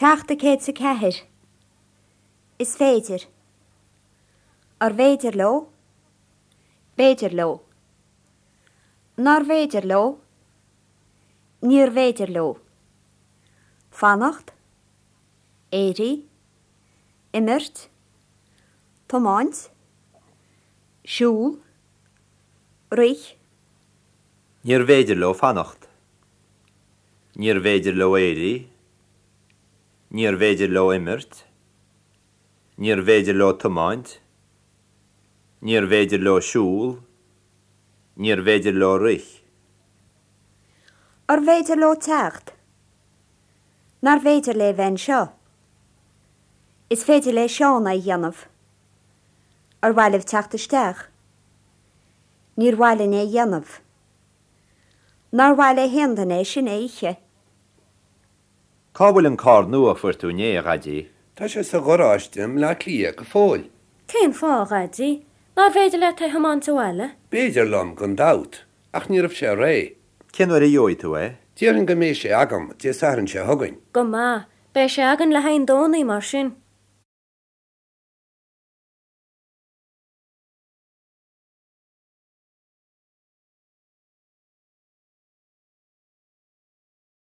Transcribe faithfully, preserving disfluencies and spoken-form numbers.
Ceacht a céad is a ceathair. Is féidir. Arbh fhéidir leo? B'fhéidir leo. Nárbh fhéidir leo? Níorbh fhéidir leo. Fanacht, éirí, imirt, tiomáint, siúl, rith, Níorbh fhéidir leo fanacht. Níorbh fhéidir leo éirí, Níorbh fhéidir leo imirt, Níorbh fhéidir leo tiomáint, Níorbh fhéidir leo siúl, Níorbh fhéidir leo rith. Arbh fhéidir leo teacht? Nárbh fhéidir léi bheith anseo? Is féidir le Seán é a dhéanamh. Ar mhaith libh teacht isteach? Níor mhaith linn é a dhéanamh. Nár mhaith le haon duine é sin a ithe. Cá bhfuil an carr nua a fuair tú inné a Dhaidí? Tá sé sa gharáiste i mBleá Cliath go fóill. Cén fáth a Dhaidí? Nárbh fhéidir leat é a thiomáint abhaile? B'fhéidir liom gan dabht, ach ní raibh sé réidh. Cén uair a gheobhaidh tú é? Déarfainn go mbeidh sé agam Dé Sathairn seo chugainn. Go maith, beidh sé againn le haghaidh an Domhnaigh mar sin.